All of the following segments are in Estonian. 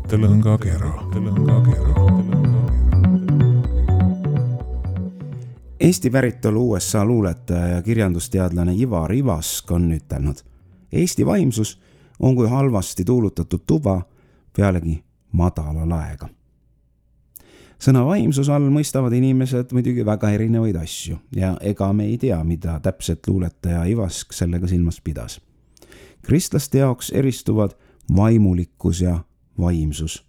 Mõttelõngakera. Eesti päritolu USA luuletaja ja kirjandusteadlane Ivar Ivask on ütelnud: Eesti vaimsus on kui halvasti tuulutatud tuba pealegi madala laega. Sõna vaimsus all mõistavad inimesed muidugi väga erinevaid asju ja ega me ei tea, mida täpselt luuletaja Ivask sellega silmas pidas. Kristlaste jaoks eristuvad vaimulikkus ja vaimsus.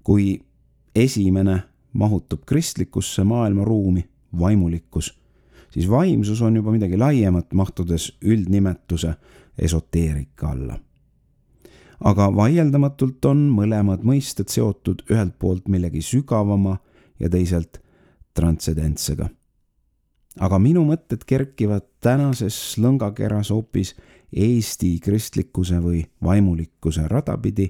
Kui esimene mahutub kristlikusse maailmaruumi, vaimulikkus, siis vaimsus on juba midagi laiemat, mahtudes üldnimetuse esoteerika alla. Aga vaieldamatult on mõlemad mõisted seotud ühelt poolt millegi sügavama ja teiselt transcendentsega. Aga minu mõtted kerkivad tänases lõngakeras hoopis Eesti kristlikkuse või vaimulikkuse radapidi,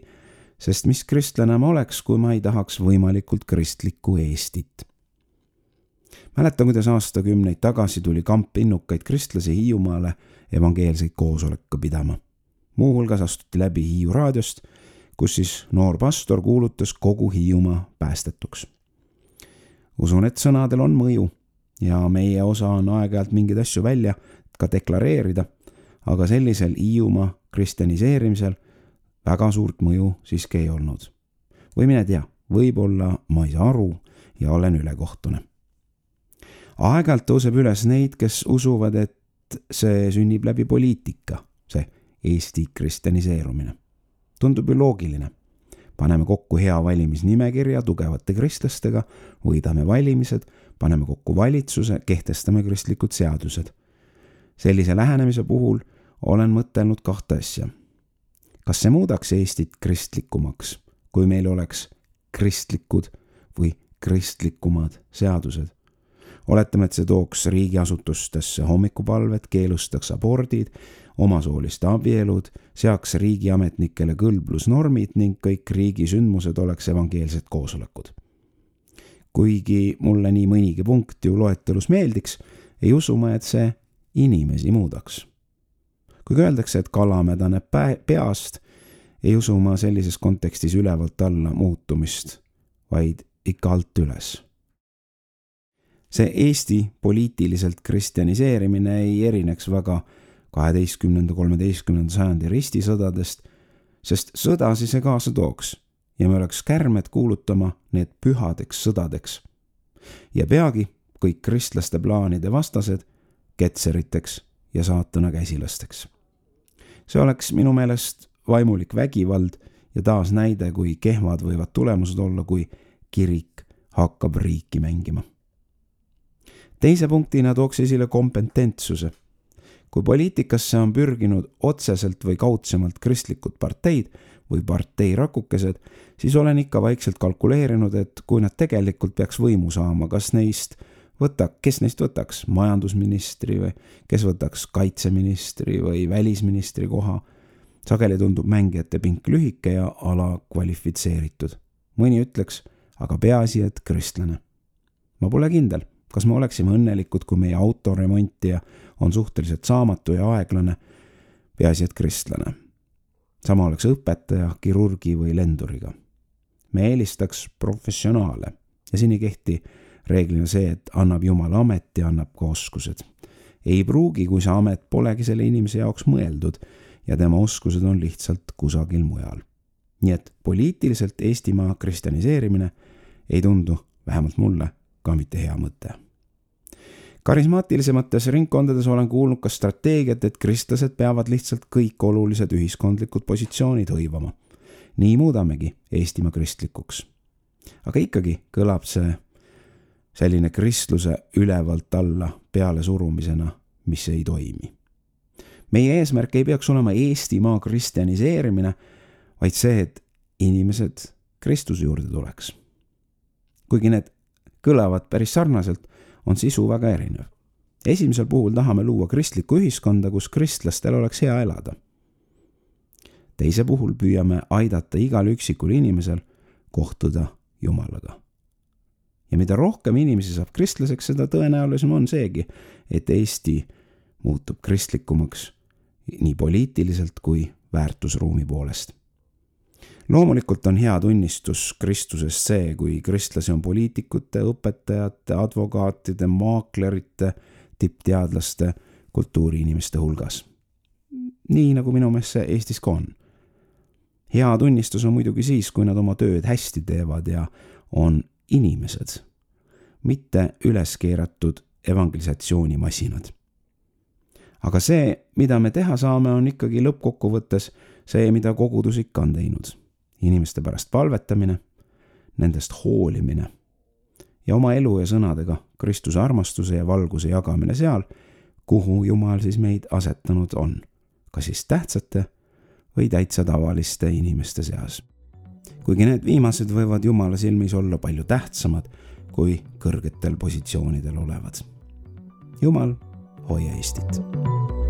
sest mis kristlane ma oleks, kui ma ei tahaks võimalikult kristlikku Eestit. Mäletan, kuidas aastakümneid tagasi tuli kamp innukaid kristlasi Hiiumaale evangeelseid koosolekut pidama. Muuhulgas astuti läbi Hiiu raadiost, kus siis noor pastor kuulutas kogu Hiiumaa päästetuks. Usun, et sõnadel on mõju ja meie osa on aeg-ajalt mingeid asju välja ka deklareerida, aga sellisel Hiiumaa kristjaniseerimisel väga suurt mõju siiski ei olnud. Või mine tea, võib-olla ma ei saa aru ja olen ülekohtune. Aeg-ajalt tõuseb üles neid, kes usuvad, et see sünnib läbi poliitika, see Eesti kristjaniseerumine. Tundub ju loogiline. Paneme kokku hea valimisnimekirja tugevate kristlastega, võidame valimised, paneme kokku valitsuse, kehtestame kristlikud seadused. Sellise lähenemise puhul olen mõtelnud kahte asja. Kas see muudaks Eestit kristlikumaks, kui meil oleks kristlikud või kristlikumad seadused? Oletame, et see tooks riigiasutustesse hommikupalved, keelustaks abordid, omasooliste abielud, seaks riigiametnikele kõlblusnormid ning kõik riigisündmused oleks evangeelsed koosolekud. Kuigi mulle nii mõnigi punkt ju loetelus meeldiks, ei usu ma, et see inimesi muudaks. Kui öeldakse, et kala mädaneb peast, ei usu ma sellises kontekstis ülevalt alla muutumist, vaid ikka alt üles. See Eesti poliitiliselt kristjaniseerimine ei erineks väga 12.–13. sajandi ristisõdadest, sest sõdasi see kaasa tooks ja me oleks kärmed kuulutama need pühadeks sõdadeks. Ja peagi kõik kristlaste plaanide vastased ketseriteks ja saatana käsilasteks. See oleks minu meelest vaimulik vägivald ja taas näide, kui kehvad võivad tulemused olla, kui kirik hakkab riiki mängima. Teise punktina tooks esile kompetentsuse. Kui poliitikasse on pürginud otseselt või kaudsemalt kristlikud parteid või parteirakukesed, siis olen ikka vaikselt kalkuleerinud, et kui nad tegelikult peaks võimu saama, kes neist võtaks majandusministri või kes võtaks kaitseministri või välisministri koha. Sageli tundub mängijate pink lühike ja alakvalifitseeritud. Mõni ütleks, aga peaasi, et kristlane. Ma pole kindel. Kas me oleksime õnnelikud, kui meie autoremontija on suhteliselt saamatu ja aeglane, peaasi, et kristlane. Sama oleks õpetaja, kirurgi või lenduriga. Me eelistaks professionaale ja siin ei kehti reeglina see, et annab Jumal amet ja annab ka oskused. Ei pruugi, kui see amet polegi selle inimese jaoks mõeldud ja tema oskused on lihtsalt kusagil mujal. Nii et poliitiliselt Eestimaa kristjaniseerimine ei tundu, vähemalt mulle, ka mitte hea mõte. Karismaatilisemates ringkondades olen kuulnud ka strateegiat, et kristlased peavad lihtsalt kõik olulised ühiskondlikud positsioonid hõivama. Nii muudamegi Eestimaa kristlikuks. Aga ikkagi kõlab see selline kristluse ülevalt alla peale surumisena, mis ei toimi. Meie eesmärk ei peaks olema Eestimaa kristjaniseerimine, vaid see, et inimesed Kristuse juurde tuleks. Kuigi need kõlavad päris sarnaselt, on sisu väga erinev. Esimesel puhul tahame luua kristlikku ühiskonda, kus kristlastel oleks hea elada. Teise puhul püüame aidata igal üksikul inimesel kohtuda Jumalaga. Ja mida rohkem inimesi saab kristlaseks, seda tõenäolisem on seegi, et Eesti muutub kristlikumaks nii poliitiliselt kui väärtusruumi poolest. Loomulikult on hea tunnistus Kristusest see, kui kristlasi on poliitikute, õpetajate, advokaatide, maaklerite, tippteadlaste, kultuuriinimeste hulgas. Nii nagu minu meelest see Eestis ka on. Hea tunnistus on muidugi siis, kui nad oma tööd hästi teevad ja on inimesed, mitte üles keeratud evangelisatsioonimasinad. Aga see, mida me teha saame, on ikkagi lõppkokkuvõttes see, mida kogudus ikka on teinud. Inimeste pärast palvetamine, nendest hoolimine ja oma elu ja sõnadega Kristuse armastuse ja valguse jagamine seal, kuhu Jumal siis meid asetanud on, kas siis tähtsate või täitsa tavaliste inimeste seas. Kuigi need viimased võivad Jumala silmis olla palju tähtsamad kui kõrgetel positsioonidel olevad. Jumal, hoia Eestit!